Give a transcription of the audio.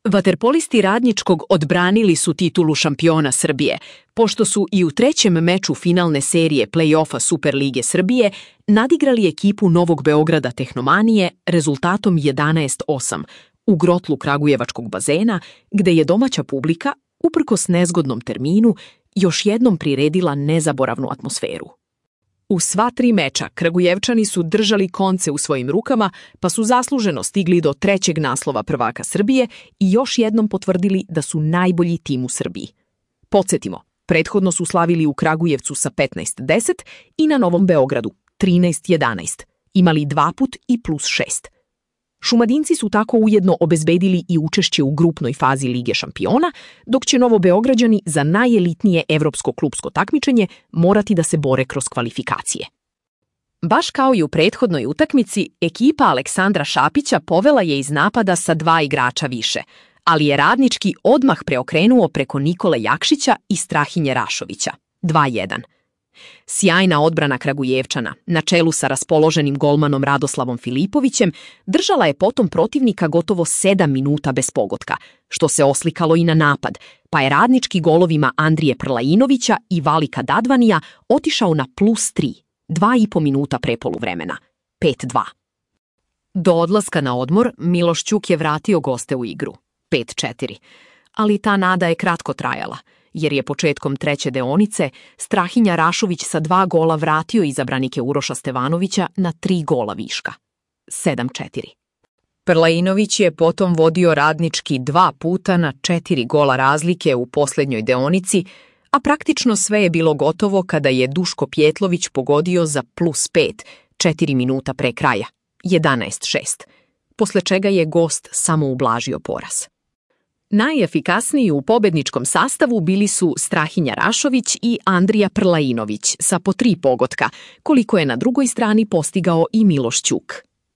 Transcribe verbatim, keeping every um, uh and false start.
Vaterpolisti Radničkog odbranili su titulu šampiona Srbije, pošto su i u trećem meču finalne serije play-offa Superlige Srbije nadigrali ekipu Novog Beograda Tehnomanije rezultatom jedanaest osam u grotlu Kragujevačkog bazena, gde je domaća publika, uprkos nezgodnom terminu, još jednom priredila nezaboravnu atmosferu. U sva tri meča Kragujevčani su držali konce u svojim rukama, pa su zasluženo stigli do trećeg naslova prvaka Srbije i još jednom potvrdili da su najbolji tim u Srbiji. Podsjetimo, prethodno su slavili u Kragujevcu sa petnaest deset i na Novom Beogradu trinaest jedanaest, imali dva put i plus šest. Šumadinci su tako ujedno obezbedili i učešće u grupnoj fazi Lige šampiona, dok će Novobeograđani za najelitnije evropsko klupsko takmičenje morati da se bore kroz kvalifikacije. Baš kao i u prethodnoj utakmici, ekipa Aleksandra Šapića povela je iz napada sa dva igrača više, ali je Radnički odmah preokrenuo preko Nikole Jakšića i Strahinje Rašovića, dva jedan. Sjajna odbrana Kragujevčana, na čelu sa raspoloženim golmanom Radoslavom Filipovićem, držala je potom protivnika gotovo sedam minuta bez pogotka, što se oslikalo i na napad, pa je Radnički golovima Andrije Prlainovića i Valika Dadvanija otišao na plus tri, dva i po minuta pre poluvremena, pet dva. Do odlaska na odmor Miloš Ćuk je vratio goste u igru, pet četiri, ali ta nada je kratko trajala, jer je početkom treće deonice Strahinja Rašović sa dva gola vratio izabranike Uroša Stevanovića na tri gola viška, sedam četiri. Prlainović je potom vodio Radnički dva puta na četiri gola razlike u posljednjoj deonici, a praktično sve je bilo gotovo kada je Duško Pjetlović pogodio za plus pet, četiri minuta pre kraja, jedanaest šest, posle čega je gost samo ublažio poraz. Najefikasniji u pobedničkom sastavu bili su Strahinja Rašović i Andrija Prlainović sa po tri pogotka, koliko je na drugoj strani postigao i Miloš Ćuk.